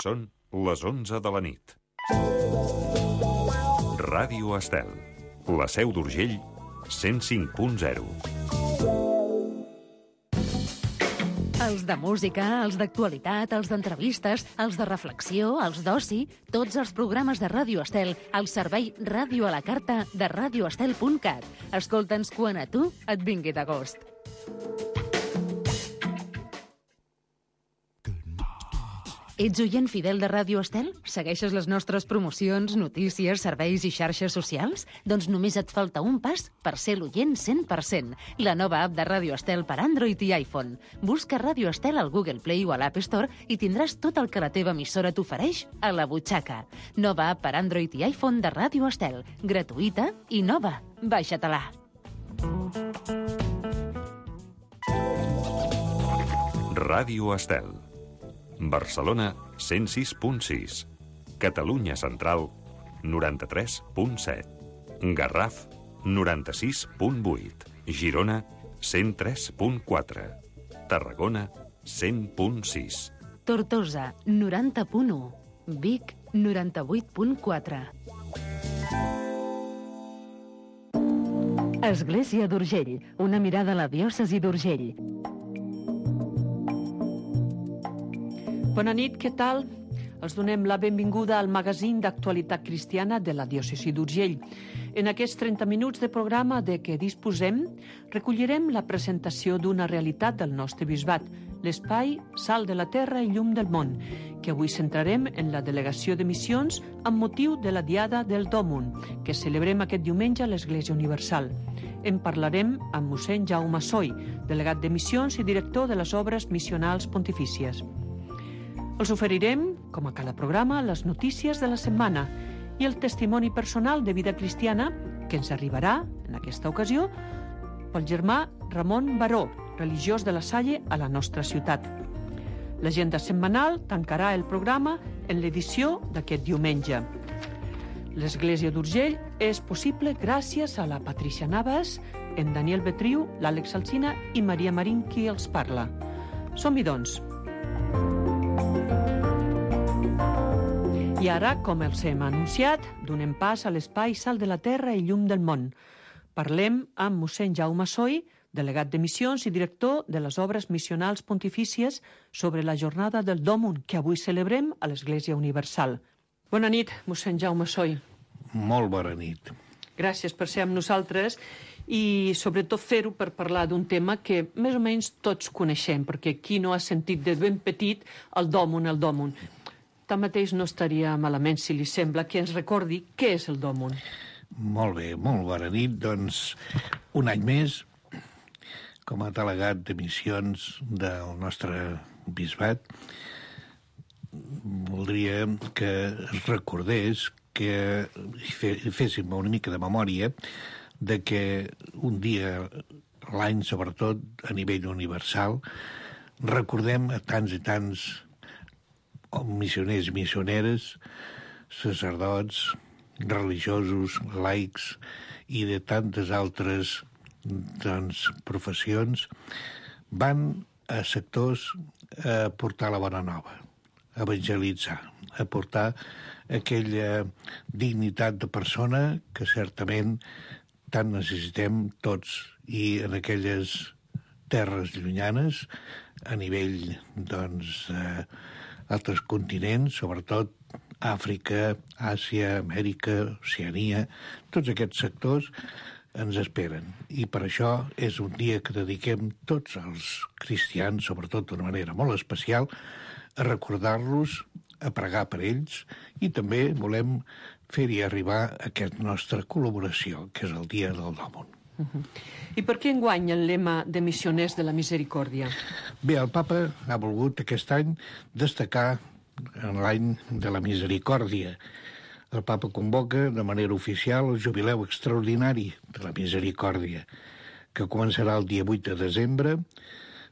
Són les 11 de la nit. Ràdio Estel, la Seu d'Urgell, 105.0. Els de música, els d'actualitat, els d'entrevistes, els de reflexió, els d'oci, tots els programes de Ràdio Estel al servei Ràdio a la Carta de radioestel.cat. Escolta'ns quan a tu et vingui de gust. Ets oient fidel de Ràdio Estel? Segueixes les nostres promocions, notícies, serveis i xarxes socials? Doncs només et falta un pas per ser l'oient 100%. La nova app de Ràdio Estel per Android i iPhone. Busca Ràdio Estel al Google Play o a l'App Store i tindràs tot el que la teva emissora t'ofereix a la butxaca. Nova app per Android i iPhone de Ràdio Estel. Gratuïta i nova. Baixa-te-la. Ràdio Estel. Barcelona, 106.6. Catalunya Central, 93.7. Garraf, 96.8. Girona, 103.4. Tarragona, 100.6. Tortosa, 90.1. Vic, 98.4. Església d'Urgell, una mirada a la diòcesi d'Urgell. Bona nit, què tal? Els donem la benvinguda al magazín d'actualitat cristiana de la diòcesi d'Urgell. En aquests 30 minuts de programa de què disposem, recollirem la presentació d'una realitat del nostre bisbat, l'espai Sal de la Terra i Llum del Món, que avui centrarem en la delegació de missions amb motiu de la Diada del Dòmun, que celebrem aquest diumenge a l'Església Universal. En parlarem amb mossèn Jaume Soy, delegat de missions i director de les obres missionals pontifícies. Els oferirem, com a cada programa, les notícies de la setmana i el testimoni personal de vida cristiana que ens arribarà, en aquesta ocasió, pel germà Ramon Baró, religiós de la Salle a la nostra ciutat. L'agenda setmanal tancarà el programa en l'edició d'aquest diumenge. L'Església d'Urgell és possible gràcies a la Patricia Navas, en Daniel Betriu, l'Àlex Alsina i Maria Marín, qui els parla. Som-hi, doncs. I ara, com els hem anunciat, donem pas a l'espai Sal de la Terra i Llum del Món. Parlem amb mossèn Jaume Soy, delegat de missions i director de les obres missionals pontifícies sobre la jornada del Dòmun que avui celebrem a l'Església Universal. Bona nit, mossèn Jaume Soy. Molt bona nit. Gràcies per ser amb nosaltres i sobretot fer-ho per parlar d'un tema que més o menys tots coneixem, perquè qui no ha sentit de ben petit el Dòmun. Tanmateix no estaria malament, si li sembla, que ens recordi què és el Dòmun. Molt bé, molt bona nit. Doncs, un any més, com a delegat de missions del nostre bisbat, voldria que es recordés, que féssim una mica de memòria de que un dia a l'any, sobretot a nivell universal, recordem a tants i tants missioners i missioneres, sacerdots, religiosos, laics i de tantes altres professions, van a sectors a portar la bona nova, a evangelitzar, a portar aquella dignitat de persona que certament tant necessitem tots i en aquelles terres llunyanes a nivell, altres continents, sobretot Àfrica, Àsia, Amèrica, Oceania, tots aquests sectors ens esperen. I per això és un dia que dediquem tots els cristians, sobretot d'una manera molt especial, a recordar-los, a pregar per ells i també volem fer-hi arribar aquesta nostra col·laboració, que és el dia del Dòmun. I per què enguany el lema de missioners de la misericòrdia? Bé, el papa ha volgut aquest any destacar en l'any de la misericòrdia. El papa convoca de manera oficial el jubileu extraordinari de la misericòrdia, que començarà el dia 8 de desembre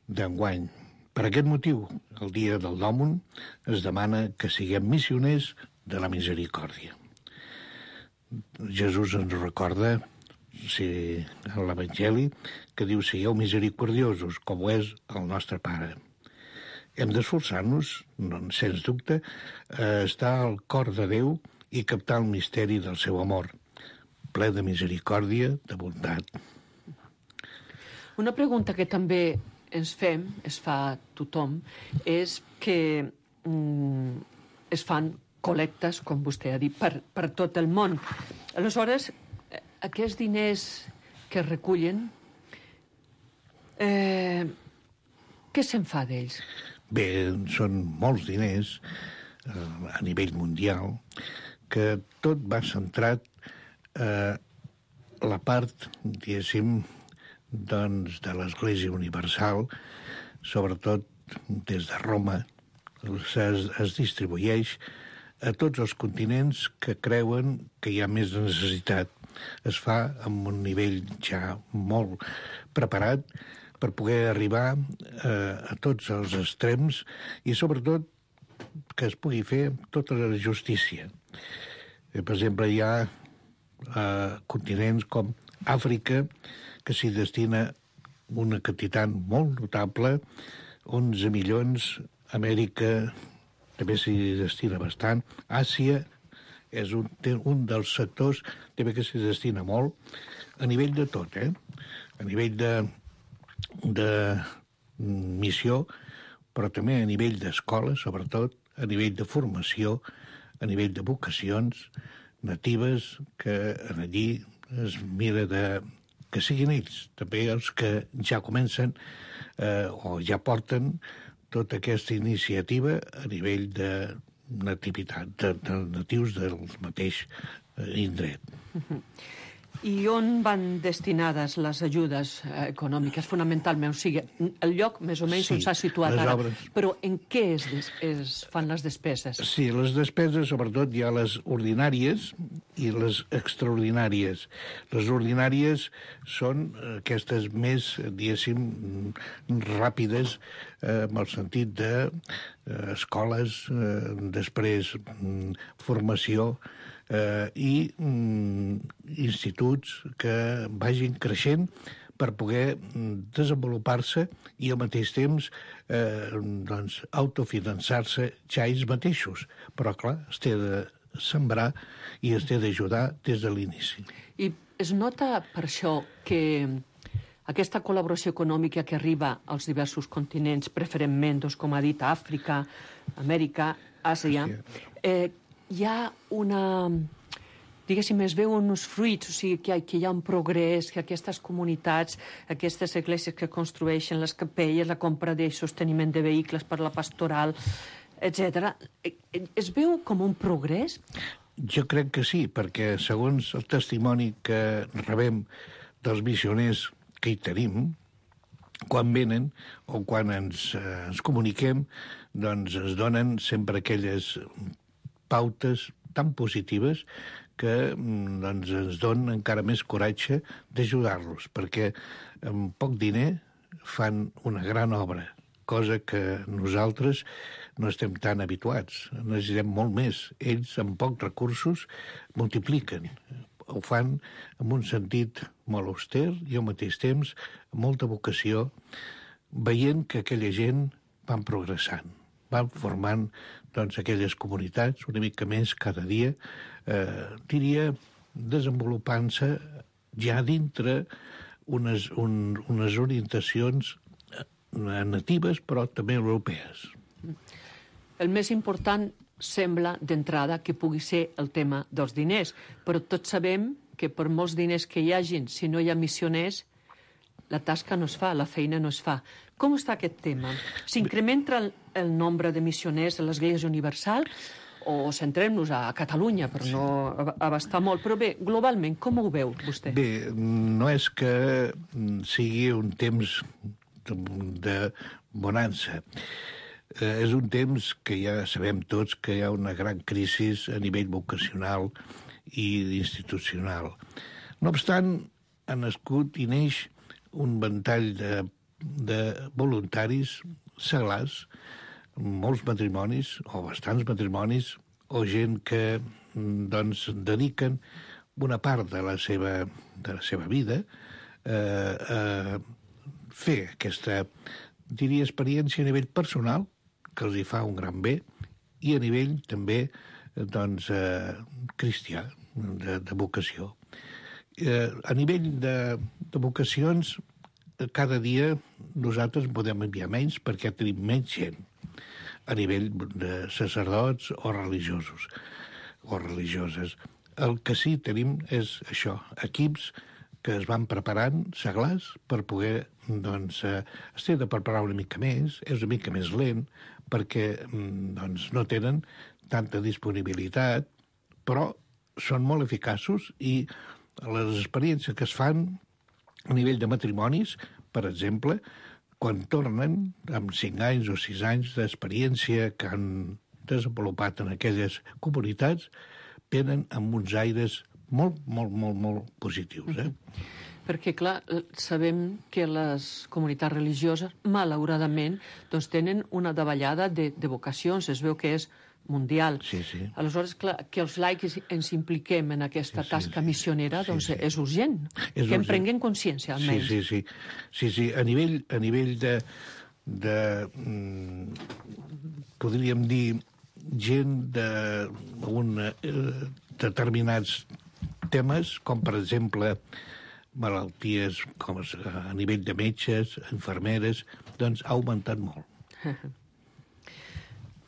d'enguany. Per aquest motiu, el dia del Dòmun es demana que siguem missioners de la misericòrdia. Jesús ens recorda en l'Evangeli, que diu: sigueu misericordiosos, com ho és el nostre Pare. hem d'esforçar-nos, doncs, sens dubte, a estar al cor de Déu i captar el misteri del seu amor, ple de misericòrdia, de bondat. Una pregunta que també ens fem, es fa tothom, és que es fan col·lectes, com vostè ha dit, per tot el món. Aleshores, aquests diners que es recullen, què se'n fa d'ells? Bé, són molts diners a nivell mundial, que tot va centrat a la part, diguéssim, doncs, de l'Església Universal, sobretot des de Roma, es distribueix a tots els continents que creuen que hi ha més necessitat. Es fa amb un nivell ja molt preparat per poder arribar a tots els extrems i, sobretot, que es pugui fer tota la justícia. Per exemple, hi ha continents com Àfrica, que s'hi destina una quantitat molt notable, 11 milions, Amèrica també s'hi destina bastant, Àsia és un dels sectors també que s'hi destina molt, a nivell de tot, a nivell de missió, però també a nivell d'escola, sobretot, a nivell de formació, a nivell de vocacions natives, que allí es mira que siguin ells, també els que ja comencen o ja porten tota aquesta iniciativa a nivell de nativitat, de natius del mateix indret. I on van destinades les ajudes econòmiques, fonamentalment? O sigui, el lloc més o menys on s'ha situat ara. Obres. Però en què es fan les despeses? Sí, les despeses, sobretot, hi ha les ordinàries i les extraordinàries. Les ordinàries són aquestes més, diguéssim, ràpides, en el sentit d'escoles, després formació, i instituts que vagin creixent per poder desenvolupar-se i al mateix temps doncs, autofinançar-se ja ells mateixos. Però, clar, es té de sembrar i es té d'ajudar des de l'inici. I es nota per això que aquesta col·laboració econòmica que arriba als diversos continents, preferentment, doncs, com ha dit, Àfrica, Amèrica, Àsia, hi ha una... diguéssim, es veuen uns fruits, o sigui, que hi ha un progrés, que aquestes comunitats, aquestes esglésies que construeixen les capelles, la compra de sosteniment de vehicles per la pastoral, etc. Es veu com un progrés? Jo crec que sí, perquè segons el testimoni que rebem dels missioners que hi tenim, quan venen o quan ens comuniquem, doncs es donen sempre aquelles pautes tan positives que doncs, ens donen encara més coratge d'ajudar-los, perquè amb poc diner fan una gran obra, cosa que nosaltres no estem tan habituats. Necessitem molt més. Ells, amb pocs recursos, multipliquen. Ho fan amb un sentit molt auster i al mateix temps amb molta vocació, veient que aquella gent van progressant, van formant doncs, aquelles comunitats una mica més cada dia, diria, desenvolupant-se ja dintre unes orientacions natives però també europees. El més important sembla d'entrada que pugui ser el tema dels diners, però tots sabem que per molts diners que hi hagin, si no hi ha missioners, la tasca no es fa, la feina no es fa. Com està aquest tema? S'incrementa el nombre de missioners de l'Església Universal o centrem-nos a Catalunya per no abastar molt? Però bé, globalment, com ho veu vostè? Bé, no és que sigui un temps de bonança. És un temps que ja sabem tots que hi ha una gran crisi a nivell vocacional i institucional. No obstant, ha nascut i neix un ventall de voluntaris seglars, molts matrimonis, o bastants matrimonis, o gent que doncs, dediquen una part de la seva vida a fer aquesta, diria, experiència a nivell personal, que els hi fa un gran bé, i a nivell també doncs, cristià, de vocació. A nivell de vocacions, cada dia nosaltres podem enviar menys perquè tenim menys gent a nivell de sacerdots o religiosos o religioses. El que sí tenim és això, equips que es van preparant, seglars, per poder, doncs, es té de preparar una mica més, és una mica més lent, perquè doncs, no tenen tanta disponibilitat, però són molt eficaços i les experiències que es fan a nivell de matrimonis, per exemple, quan tornen amb 5 anys o 6 anys d'experiència que han desenvolupat en aquelles comunitats, venen amb uns aires molt, molt, molt, molt positius. Perquè, clar, sabem que les comunitats religioses, malauradament, doncs tenen una davallada de vocacions. Es veu que és mundial. Sí, sí. Aleshores, clar, que els laics ens impliquem en aquesta tasca missionera, doncs és urgent. Que en prenguem consciència, almenys. Sí. A nivell de podríem dir, gent determinats temes, com per exemple malalties com a nivell de metges, infermeres, doncs ha augmentat molt.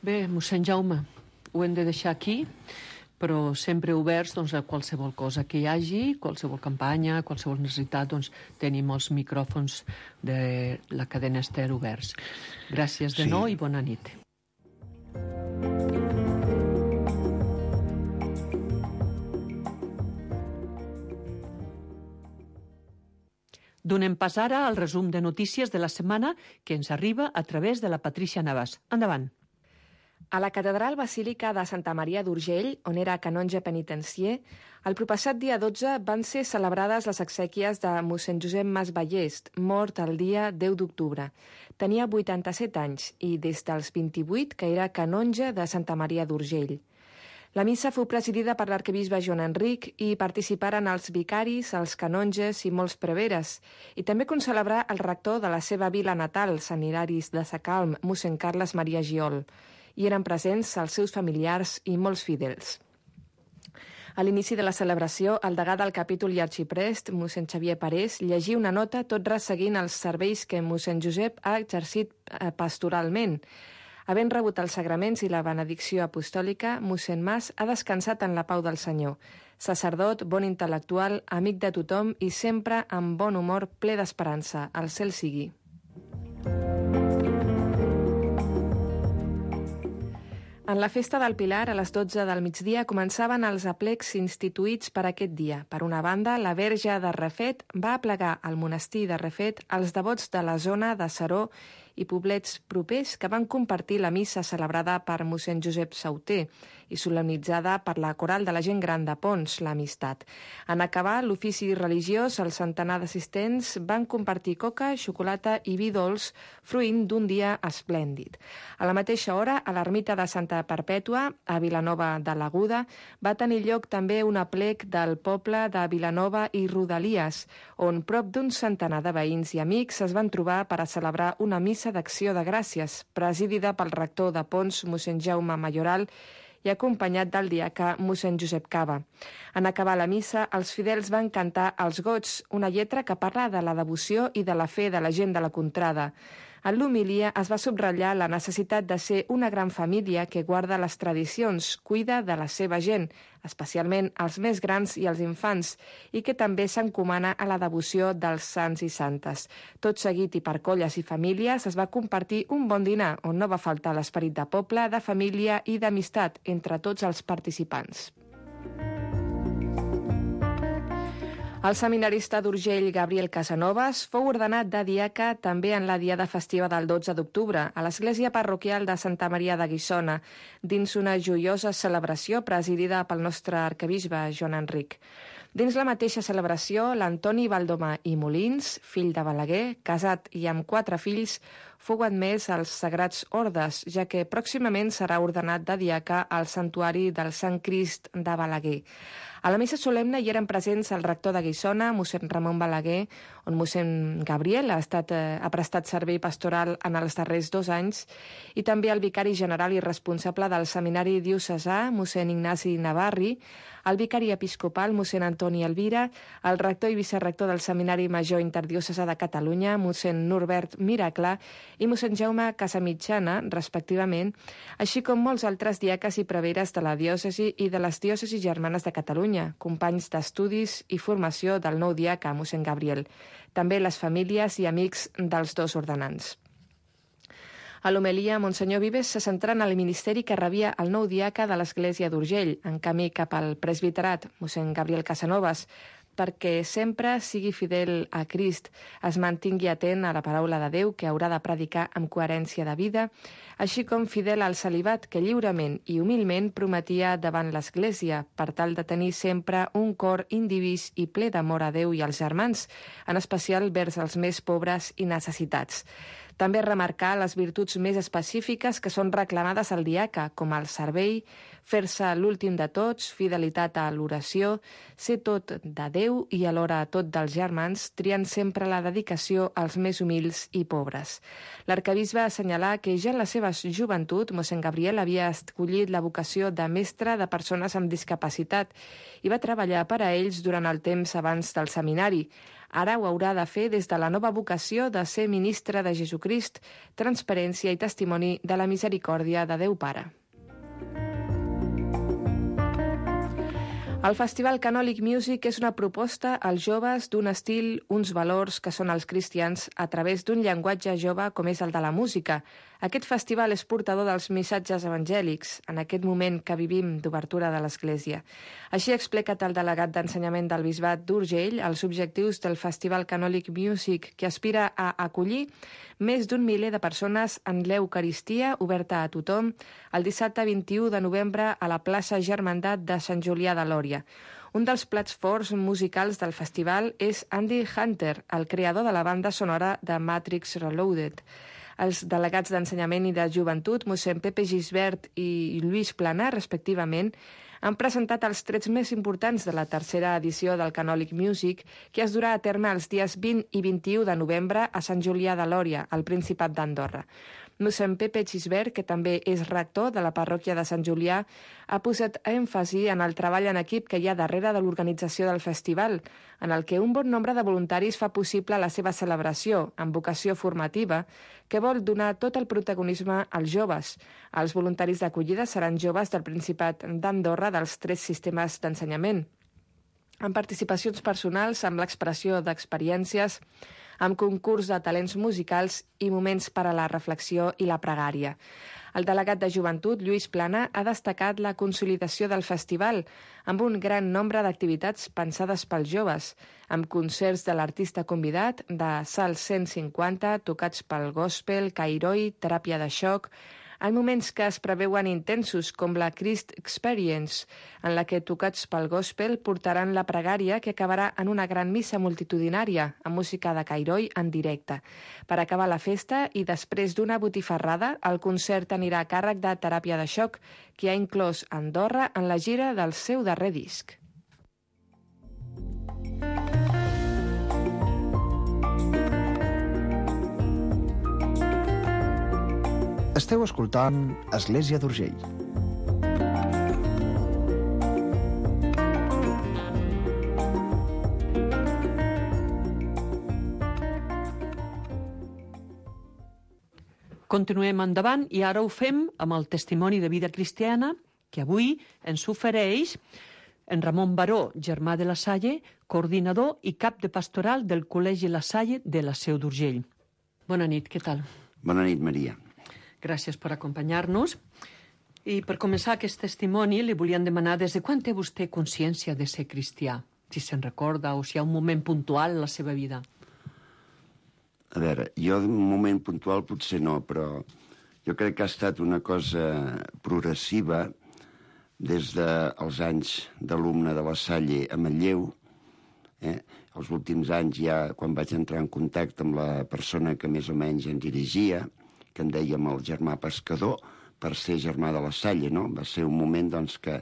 Bé, mossèn Jaume, ho hem de deixar aquí, però sempre oberts doncs, a qualsevol cosa que hi hagi, qualsevol campanya, qualsevol necessitat, doncs tenim els micròfons de la cadena Ester oberts. Gràcies de nou i bona nit. Donem pas ara al resum de notícies de la setmana que ens arriba a través de la Patrícia Navas. Endavant. A la Catedral Basílica de Santa Maria d'Urgell, on era canonge penitencier, el propassat dia 12 van ser celebrades les exèquies de mossèn Josep Mas Ballest, mort el dia 10 d'octubre. Tenia 87 anys i des dels 28 que era canonge de Santa Maria d'Urgell. La missa fou presidida per l'arquebisbe Joan Enric i participaren els vicaris, els canonges i molts preveres, i també concelebrar el rector de la seva vila natal, Sant Hilaris de Sacalm, mossèn Carles Maria Giol. Hi eren presents els seus familiars i molts fidels. A l'inici de la celebració, el degà del capítol i arxiprest, mossèn Xavier Parés, llegí una nota tot resseguint els serveis que mossèn Josep ha exercit pastoralment. Havent rebut els sagraments i la benedicció apostòlica, mossèn Mas ha descansat en la pau del Senyor. Sacerdot, bon intel·lectual, amic de tothom i sempre amb bon humor, ple d'esperança. Al cel sigui. En la festa del Pilar, a les 12 del migdia, començaven els aplecs instituïts per aquest dia. Per una banda, la Verge de Refet va aplegar al monestir de Refet els devots de la zona de Seró i poblets propers que van compartir la missa celebrada per mossèn Josep Sauter i solemnitzada per la coral de la gent gran de Pons, l'Amistat. En acabar l'ofici religiós, el centenar d'assistents van compartir coca, xocolata i vi dolç, fruint d'un dia esplèndid. A la mateixa hora, a l'ermita de Santa Perpètua, a Vilanova de l'Aguda, va tenir lloc també un aplec del poble de Vilanova i Rodalies, on prop d'un centenar de veïns i amics es van trobar per a celebrar una missa d'acció de gràcies, presidida pel rector de Pons, mossèn Jaume Mayoral, i acompanyat del diaca mossèn Josep Cava. En acabar la missa, els fidels van cantar Els Gots, una lletra que parla de la devoció i de la fe de la gent de la contrada. En l'homilia es va subratllar la necessitat de ser una gran família que guarda les tradicions, cuida de la seva gent, especialment els més grans i els infants, i que també s'encomana a la devoció dels sants i santes. Tot seguit i per colles i famílies es va compartir un bon dinar on no va faltar l'esperit de poble, de família i d'amistat entre tots els participants. El seminarista d'Urgell, Gabriel Casanovas, fou ordenat de diaca també en la diada festiva del 12 d'octubre a l'església parroquial de Santa Maria de Guissona, dins una joiosa celebració presidida pel nostre arquebisbe Joan Enric. Dins la mateixa celebració, l'Antoni Valdomà i Molins, fill de Balaguer, casat i amb 4 fills, fou admès als Sagrats Ordes, ja que pròximament serà ordenat de diaca al Santuari del Sant Crist de Balaguer. A la missa solemne hi eren presents el rector de Solsona, mossèn Ramon Balaguer, on mossèn Gabriel ha prestat servei pastoral en els darrers 2 anys, i també el vicari general i responsable del seminari diocesà, mossèn Ignasi Navarri, el vicari episcopal, mossèn Antoni Elvira, el rector i vicerrector del Seminari Major Interdiocesà de Catalunya, mossèn Norbert Miracle, i mossèn Jaume Casamitjana, respectivament, així com molts altres diaques i preveres de la diòcesi i de les diòcesis germanes de Catalunya, companys d'estudis i formació del nou diaca, mossèn Gabriel, també les famílies i amics dels 2 ordenants. A l'homelia, Monsenyor Vives se centra en el ministeri que rebia el nou diaca de l'Església d'Urgell, en camí cap al presbiterat, mossèn Gabriel Casanovas, perquè sempre sigui fidel a Crist, es mantingui atent a la paraula de Déu que haurà de predicar amb coherència de vida, així com fidel al celibat que lliurement i humilment prometia davant l'Església, per tal de tenir sempre un cor indivís i ple d'amor a Déu i als germans, en especial vers els més pobres i necessitats. També remarcar les virtuts més específiques que són reclamades al diaca, com el servei, fer-se l'últim de tots, fidelitat a l'oració, ser tot de Déu i alhora tot dels germans, triant sempre la dedicació als més humils i pobres. L'arquebisbe assenyalà que ja en la seva joventut, mossèn Gabriel havia escollit la vocació de mestre de persones amb discapacitat i va treballar per a ells durant el temps abans del seminari. Ara ho haurà de fer des de la nova vocació de ser ministre de Jesucrist, transparència i testimoni de la misericòrdia de Déu Pare. El Festival Canòlic Music és una proposta als joves d'un estil, uns valors que són els cristians a través d'un llenguatge jove com és el de la música. Aquest festival és portador dels missatges evangèlics en aquest moment que vivim d'obertura de l'Església. Així ha explicat el delegat d'ensenyament del Bisbat d'Urgell els objectius del Festival Canòlic Music, que aspira a acollir més d'1 miler de persones en l'Eucaristia oberta a tothom el dissabte 21 de novembre a la plaça Germandat de Sant Julià de Lòria. Un dels plats forts musicals del festival és Andy Hunter, el creador de la banda sonora de Matrix Reloaded. Els delegats d'ensenyament i de joventut, mossèn Pepe Gisbert i Lluís Plana, respectivament, han presentat els trets més importants de la tercera edició del Canòlic Music, que es durà a terme els dies 20 i 21 de novembre a Sant Julià de Lòria, al Principat d'Andorra. Mossèn Pepe Gisbert, que també és rector de la parròquia de Sant Julià, ha posat èmfasi en el treball en equip que hi ha darrere de l'organització del festival, en el que un bon nombre de voluntaris fa possible la seva celebració, amb vocació formativa, que vol donar tot el protagonisme als joves. Els voluntaris d'acollida seran joves del Principat d'Andorra dels 3 sistemes d'ensenyament, amb participacions personals, amb l'expressió d'experiències, amb concurs de talents musicals i moments per a la reflexió i la pregària. El delegat de joventut, Lluís Plana, ha destacat la consolidació del festival amb un gran nombre d'activitats pensades pels joves, amb concerts de l'artista convidat, de Salts 150, tocats pel gospel, cairoi, teràpia de xoc, en moments que es preveuen intensos, com la Christ Experience, en la que, tocats pel gospel, portaran la pregària que acabarà en una gran missa multitudinària, amb música de cairoi en directe. Per acabar la festa, i després d'una botifarrada, el concert anirà a càrrec de teràpia de xoc, que ha inclòs Andorra en la gira del seu darrer disc. Esteu escoltant Església d'Urgell. Continuem endavant i ara ho fem amb el testimoni de vida cristiana que avui ens ofereix en Ramon Baró, germà de la Salle, coordinador i cap de pastoral del Col·legi La Salle de la Seu d'Urgell. Bona nit, què tal? Bona nit, Maria. Gràcies per acompanyar-nos. I per començar aquest testimoni li volíem demanar des de quan té vostè consciència de ser cristià? Si se'n recorda o si hi ha un moment puntual en la seva vida. A veure, jo un moment puntual potser no, però jo crec que ha estat una cosa progressiva des dels anys d'alumne de la Salle a Manlleu. Els últims anys ja, quan vaig entrar en contacte amb la persona que més o menys em dirigia, que en dèiem el germà pescador, per ser germà de la Salle, no? Va ser un moment, doncs, que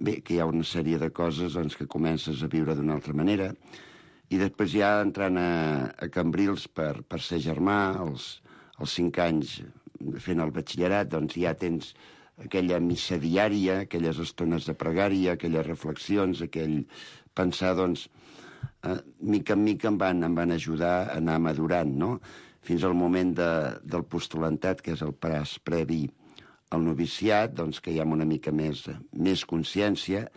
bé, que hi ha una sèrie de coses doncs, que comences a viure d'una altra manera, i després ja entrant a Cambrils per ser germà, als 5 anys fent el batxillerat, doncs ja tens aquella missa diària, aquelles estones de pregària, aquelles reflexions, aquell pensar, doncs, mica en mica em van ajudar a anar madurant, no? Fins al moment del postulantat, que és el pas previ al noviciat, doncs que hi ha una mica més consciència.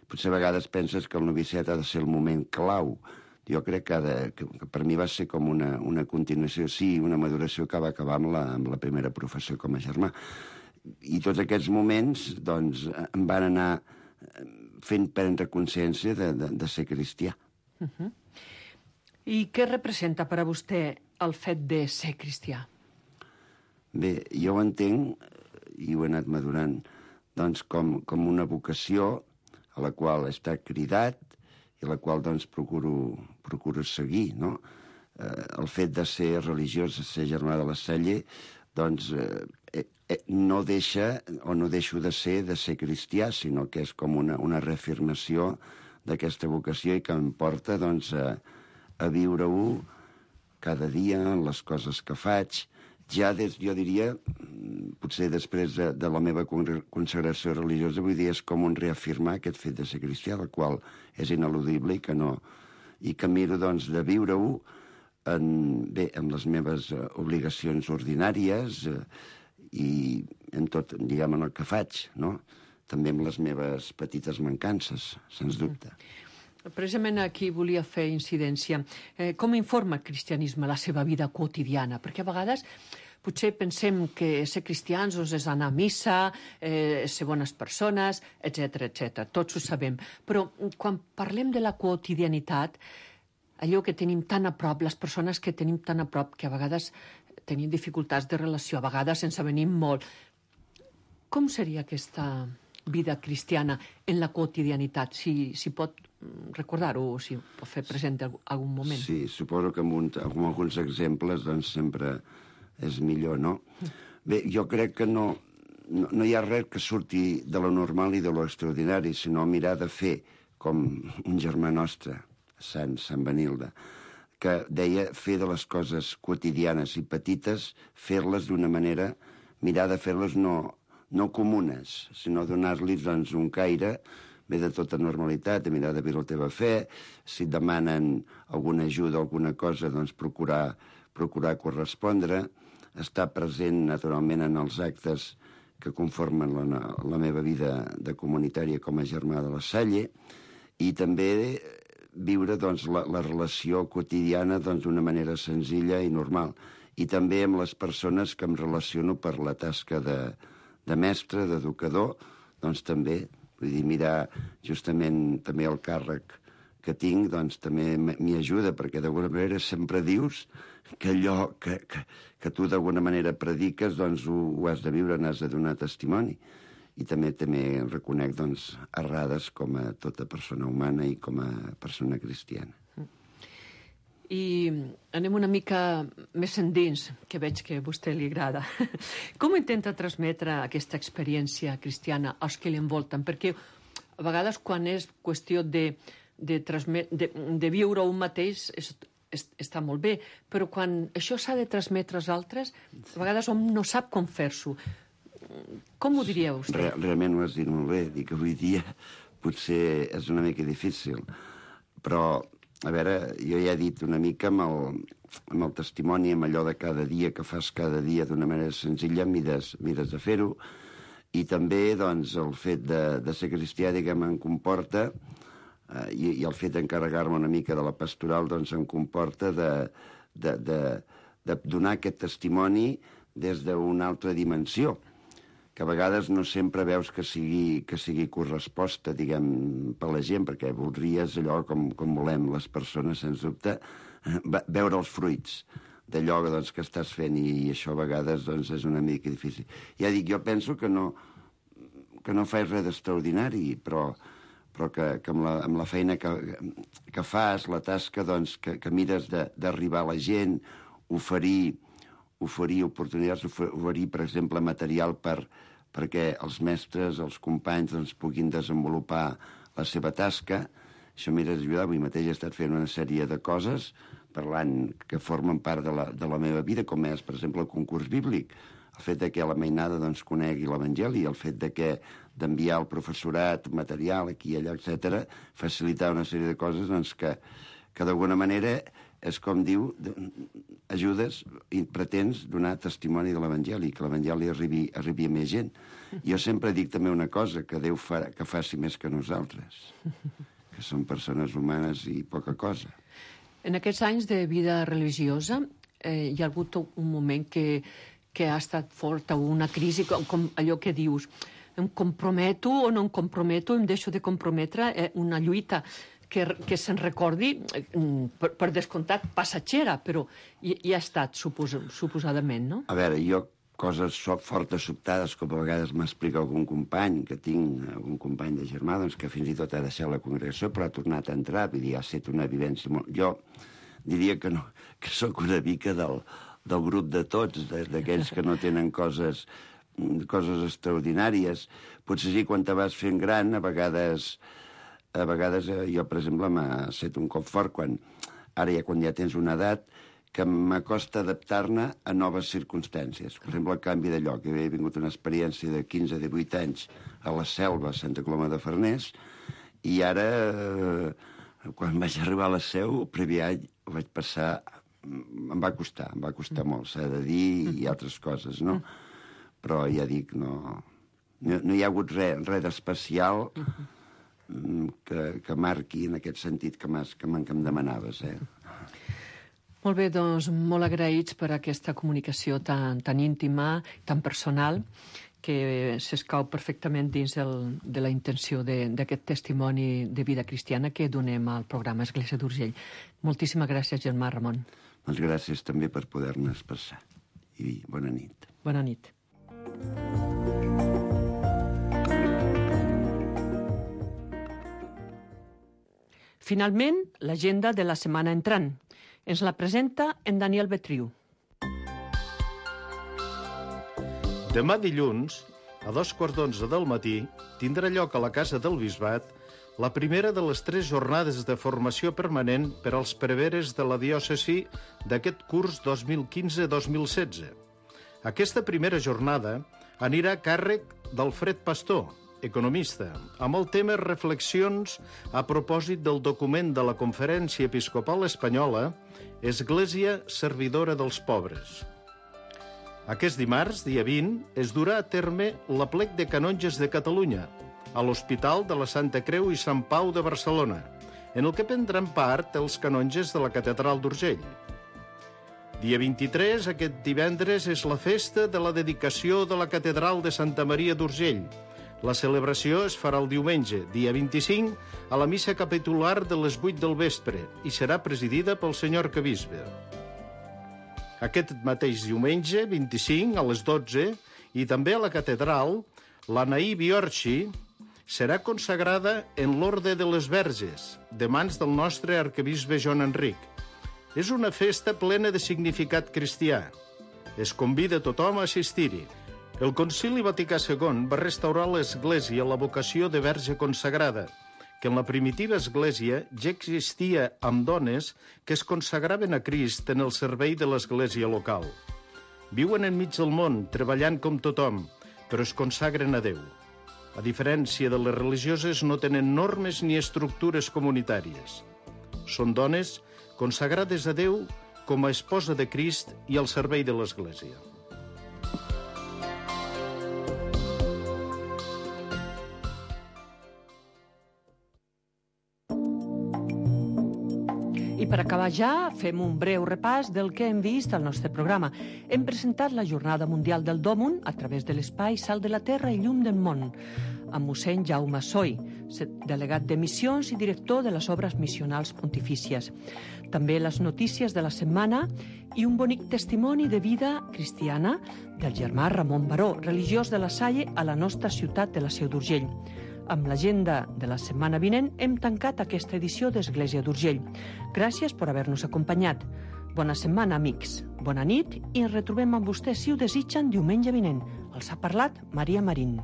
Potser a vegades penses que el noviciat ha de ser el moment clau. Jo crec que per mi va ser com una continuació, sí, una maduració que va acabar amb la primera professió com a germà. I tots aquests moments, doncs, em van anar fent prendre consciència de ser cristià. I què representa per a vostè el fet de ser cristià? Bé, jo ho entenc, i ho he anat madurant, doncs, com una vocació a la qual he estat cridat i a la qual doncs, procuro seguir, no? El fet de ser religiós, de ser germà de la Salle, doncs no deixo de ser cristià, sinó que és com una reafirmació d'aquesta vocació i que em porta doncs, a viure-ho cada dia, en les coses que faig. Ja jo diria, potser després de la meva consagració religiosa, vull dir, és com un reafirmar aquest fet de ser cristià, el qual és ineludible i que miro doncs, de viure-ho amb les meves obligacions ordinàries i en tot, diguem, en el que faig, no? També amb les meves petites mancances, sens dubte. Precisament aquí volia fer incidència. Com informa el cristianisme la seva vida quotidiana? Perquè a vegades potser pensem que ser cristians és anar a missa, ser bones persones, etc. Tots ho sabem. Però quan parlem de la quotidianitat, allò que tenim tan a prop, les persones que tenim tan a prop, que a vegades tenim dificultats de relació, a vegades ens avenim molt. Com seria aquesta vida cristiana en la quotidianitat? Si pot recordar-ho o si pot fer present algun moment. Sí, suposo que amb alguns exemples doncs sempre és millor, no? Bé, jo crec que no hi ha res que surti de lo normal i de lo extraordinari, sinó mirar de fer com un germà nostre, Sant Benilde, que deia fer de les coses quotidianes i petites, fer-les d'una manera, mirar de fer-les no comunes, sinó donar-los doncs, un caire bé de tota normalitat, de mirar de viure la teva fe, si et demanen alguna ajuda o alguna cosa, doncs procurar correspondre, estar present naturalment en els actes que conformen la meva vida de comunitària com a germà de la Salle, i també viure doncs, la relació quotidiana d'una manera senzilla i normal. I també amb les persones que em relaciono per la tasca de mestre, d'educador, doncs també, vull dir, mirar justament també el càrrec que tinc, doncs també m'hi ajuda, perquè d'alguna manera sempre dius que allò que tu d'alguna manera prediques, doncs ho has de viure, n'has de donar testimoni. I també reconec doncs, errades com a tota persona humana i com a persona cristiana. I anem una mica més endins, que veig que a vostè li agrada. Com intenta transmetre aquesta experiència cristiana als que l'envolten? Perquè a vegades quan és qüestió de viure un mateix està molt bé, però quan això s'ha de transmetre als altres, a vegades hom no sap com fer-s'ho. Com ho diria vostè? Realment ho has dit molt bé. Dic que avui dia potser és una mica difícil, però a veure, jo ja he dit una mica amb el testimoni, amb allò de cada dia que fas cada dia d'una manera senzilla, mires de fer-ho, i també doncs, el fet de ser cristià, diguem, em comporta, i el fet d'encarregar-me una mica de la pastoral, doncs em comporta de donar aquest testimoni des d'una altra dimensió, que a vegades no sempre veus que sigui corresposta, diguem, per la gent, perquè voldries allò com volem les persones, sens dubte, veure els fruits d'allò doncs, que estàs fent, i això a vegades doncs, és una mica difícil. Ja dic, jo penso que no faig res d'extraordinari, però que amb la feina que fas, la tasca doncs, que mires d'arribar a la gent, oferir oportunitats, oferir, per exemple, material per perquè els mestres, els companys, doncs, puguin desenvolupar la seva tasca. Això m'ha d'ajudar. Avui mateix he estat fent una sèrie de coses parlant que formen part de la meva vida, com és, per exemple, el concurs bíblic. El fet de que la mainada doncs, conegui l'Evangeli, el fet de que d'enviar al professorat material aquí i allà, etc., facilitar una sèrie de coses doncs, que d'alguna manera és com diu, ajudes i pretens donar testimoni de l'Evangeli, que l'Evangeli arribi a més gent. Jo sempre dic també una cosa, que Déu que faci més que nosaltres, que som persones humanes i poca cosa. En aquests anys de vida religiosa hi ha hagut un moment que ha estat forta, una crisi, com allò que dius, em comprometo o no em comprometo, em deixo de comprometre, una lluita que se'n recordi, per descomptat, passatgera, però hi ha estat, suposadament, no? A veure, jo coses fortes, sobtades, com a vegades m'explica algun company, que tinc algun company de germà, doncs que fins i tot ha deixat la congregació, però ha tornat a entrar, vull dir, ha estat una vivència molt... Jo diria que no, que sóc una mica del grup de tots, d'aquells que no tenen coses extraordinàries. Potser sí, quan te vas fent gran, a vegades jo, per exemple, m'ha estat un cop fort quan ja tens una edat que m'acosta adaptar-ne a noves circumstàncies. Per exemple, el canvi de lloc. Jo havia vingut una experiència de 15-18 anys a la Selva, a Santa Coloma de Farners, i ara, quan vaig arribar a la Seu, el primer any ho vaig passar... Em va costar molt, s'ha de dir, i altres coses, no? Però ja dic, no hi ha hagut res d'especial que marqui en aquest sentit que em demanaves, Molt bé, doncs, molt agraïts per aquesta comunicació tan íntima, tan personal, que s'escau perfectament dins de la intenció d'aquest testimoni de vida cristiana que donem al programa Església d'Urgell. Moltíssimes gràcies, germà Ramon. Doncs gràcies també per poder-ne expressar. I bona nit. Bona nit. Finalment, l'agenda de la setmana entrant. Ens la presenta en Daniel Betriu. Demà dilluns, a 2:15 del matí, tindrà lloc a la Casa del Bisbat la primera de les 3 jornades de formació permanent per als preveres de la diòcesi d'aquest curs 2015-2016. Aquesta primera jornada anirà a càrrec d'Alfred Pastor, economista, amb el tema Reflexions a propòsit del document de la Conferència Episcopal Espanyola Església Servidora dels Pobres. Aquest dimarts, dia 20, es durà a terme l'aplec de canonges de Catalunya a l'Hospital de la Santa Creu i Sant Pau de Barcelona, en el que prendran part els canonges de la Catedral d'Urgell. Dia 23, aquest divendres, és la festa de la dedicació de la Catedral de Santa Maria d'Urgell. La celebració es farà el diumenge, dia 25, a la missa capitular de les 8 del vespre i serà presidida pel senyor arquebisbe. Aquest mateix diumenge, 25, a les 12, i també a la catedral, l'Anaí Biorxi serà consagrada en l'Orde de les Verges, de mans del nostre arquebisbe Joan Enric. És una festa plena de significat cristià. Es convida tothom a assistir-hi. El Concili Vaticà II va restaurar l'Església a la vocació de verge consagrada, que en la primitiva Església ja existia amb dones que es consagraven a Crist en el servei de l'Església local. Viuen enmig del món, treballant com tothom, però es consagren a Déu. A diferència de les religioses, no tenen normes ni estructures comunitàries. Són dones consagrades a Déu com a esposa de Crist i al servei de l'Església. I per acabar ja, fem un breu repàs del que hem vist al nostre programa. Hem presentat la Jornada Mundial del Dòmun a través de l'espai Sal de la Terra i Llum del Món, amb mossèn Jaume Soy, delegat de missions i director de les obres missionals pontifícies. També les notícies de la setmana i un bonic testimoni de vida cristiana del germà Ramon Baró, religiós de la Salle a la nostra ciutat de la Seu d'Urgell. Amb l'agenda de la setmana vinent hem tancat aquesta edició d'Església d'Urgell. Gràcies per haver-nos acompanyat. Bona setmana, amics. Bona nit i ens retrobem amb vostès, si ho desitgen, diumenge vinent. Els ha parlat Maria Marín.